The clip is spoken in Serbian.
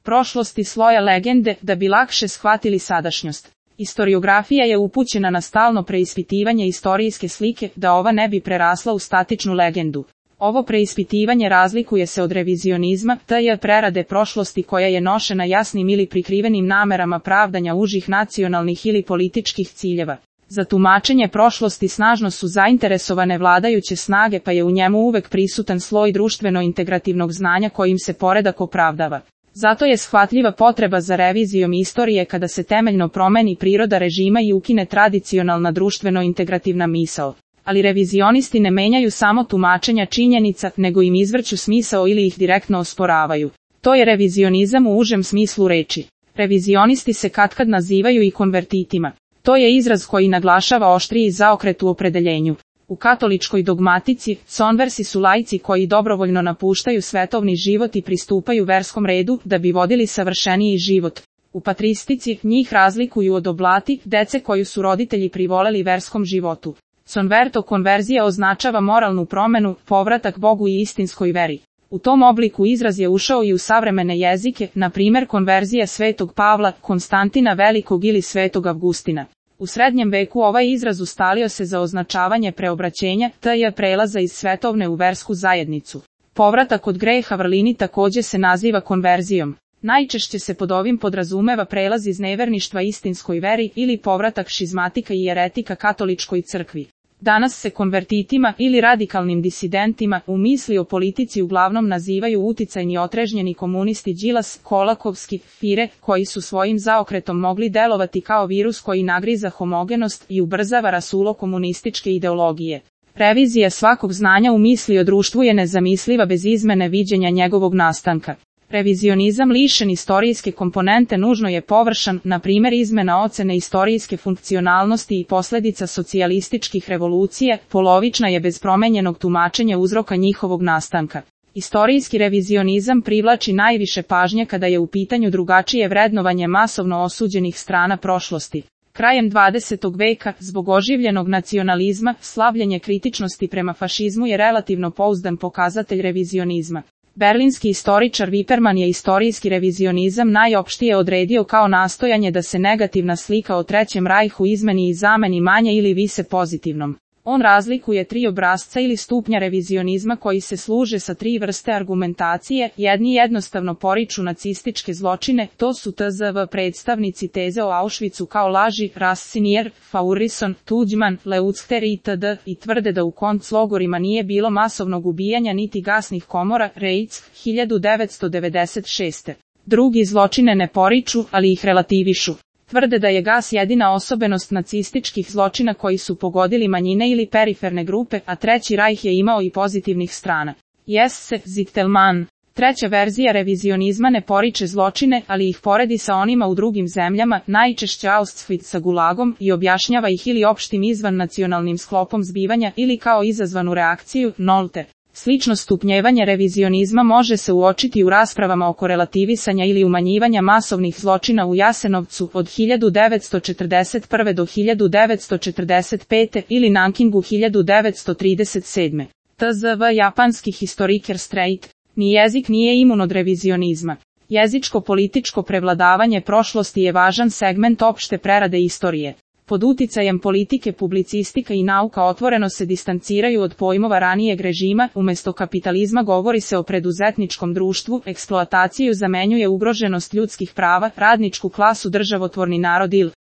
prošlosti sloja legende da bi lakše shvatili sadašnjost. Istoriografija je upućena na stalno preispitivanje istorijske slike da ova ne bi prerasla u statičnu legendu. Ovo preispitivanje razlikuje se od revizionizma, tj. prerade prošlosti koja je nošena jasnim ili prikrivenim namerama pravdanja užih nacionalnih ili političkih ciljeva. Za tumačenje prošlosti snažno su zainteresovane vladajuće snage, pa je u njemu uvek prisutan sloj društveno-integrativnog znanja kojim se poredak opravdava. Zato je shvatljiva potreba za revizijom istorije kada se temeljno promeni priroda režima i ukine tradicionalna društveno-integrativna misao. Ali revizionisti ne menjaju samo tumačenja činjenica, nego im izvrću smisao ili ih direktno osporavaju. To je revizionizam u užem smislu reči. Revizionisti se katkad nazivaju i konvertitima. To je izraz koji naglašava oštriji zaokret u opredeljenju. U katoličkoj dogmatici, conversi su laici koji dobrovoljno napuštaju svetovni život i pristupaju verskom redu da bi vodili savršeniji život. U patristici njih razlikuju od oblati, dece koju su roditelji privoleli verskom životu. Converto konverzija označava moralnu promenu, povratak Bogu i istinskoj veri. U tom obliku izraz je ušao i u savremene jezike, na primjer konverzija Svetog Pavla, Konstantina Velikog ili Svetog Avgustina. U srednjem veku ovaj izraz ustalio se za označavanje preobraćenja, tj. prelaza iz svetovne u versku zajednicu. Povratak od greha vrlini također se naziva konverzijom. Najčešće se pod ovim podrazumeva prelaz iz neverništva istinskoj veri ili povratak šizmatika i eretika katoličkoj crkvi. Danas se konvertitima ili radikalnim disidentima u misli o politici uglavnom nazivaju uticajni otrežnjeni komunisti Đilas, Kolakovski, Fire, koji su svojim zaokretom mogli delovati kao virus koji nagriza homogenost i ubrzava rasulo komunističke ideologije. Revizija svakog znanja u misli o društvu je nezamisliva bez izmene viđenja njegovog nastanka. Revizionizam lišen istorijske komponente nužno je površan, na primjer izmena ocene istorijske funkcionalnosti i posljedica socijalističkih revolucija, polovična je bez promenjenog tumačenja uzroka njihovog nastanka. Istorijski revizionizam privlači najviše pažnje kada je u pitanju drugačije vrednovanje masovno osuđenih strana prošlosti. Krajem 20. veka, zbog oživljenog nacionalizma, slavljenje kritičnosti prema fašizmu je relativno pouzdan pokazatelj revizionizma. Berlinski istoričar Wiperman je istorijski revizionizam najopštije odredio kao nastojanje da se negativna slika o Trećem rajhu izmeni i zameni manje ili više pozitivnom. On razlikuje tri obrasca ili stupnja revizionizma koji se služe sa tri vrste argumentacije. Jedni jednostavno poriču nacističke zločine, to su tzv. predstavnici teze o Auschwitzu kao laži, Rassinier, Faurison, Tuđman, Leuchter itd. i tvrde da u konclogorima nije bilo masovnog ubijanja niti gasnih komora, Reitz, 1996. Drugi zločine ne poriču, ali ih relativišu. Tvrde da je gas jedina osobenost nacističkih zločina koji su pogodili manjine ili periferne grupe, a Treći rajh je imao i pozitivnih strana. Jesse, Zittelmann. Treća verzija revizionizma ne poriče zločine, ali ih poredi sa onima u drugim zemljama, najčešće Auschwitz sa gulagom, i objašnjava ih ili opštim izvan nacionalnim sklopom zbivanja ili kao izazvanu reakciju, Nolte. Slično stupnjevanje revizionizma može se uočiti u raspravama oko relativisanja ili umanjivanja masovnih zločina u Jasenovcu od 1941. do 1945. ili Nankingu 1937. tzv. Japanski historiker Streit. Ni jezik nije imun od revizionizma. Jezičko-političko prevladavanje prošlosti je važan segment opšte prerade istorije. Pod uticajem politike publicistika i nauka otvoreno se distanciraju od pojmova ranijeg režima, umjesto kapitalizma govori se o preduzetničkom društvu, eksploataciju zamenjuje ugroženost ljudskih prava, radničku klasu državotvorni narod ili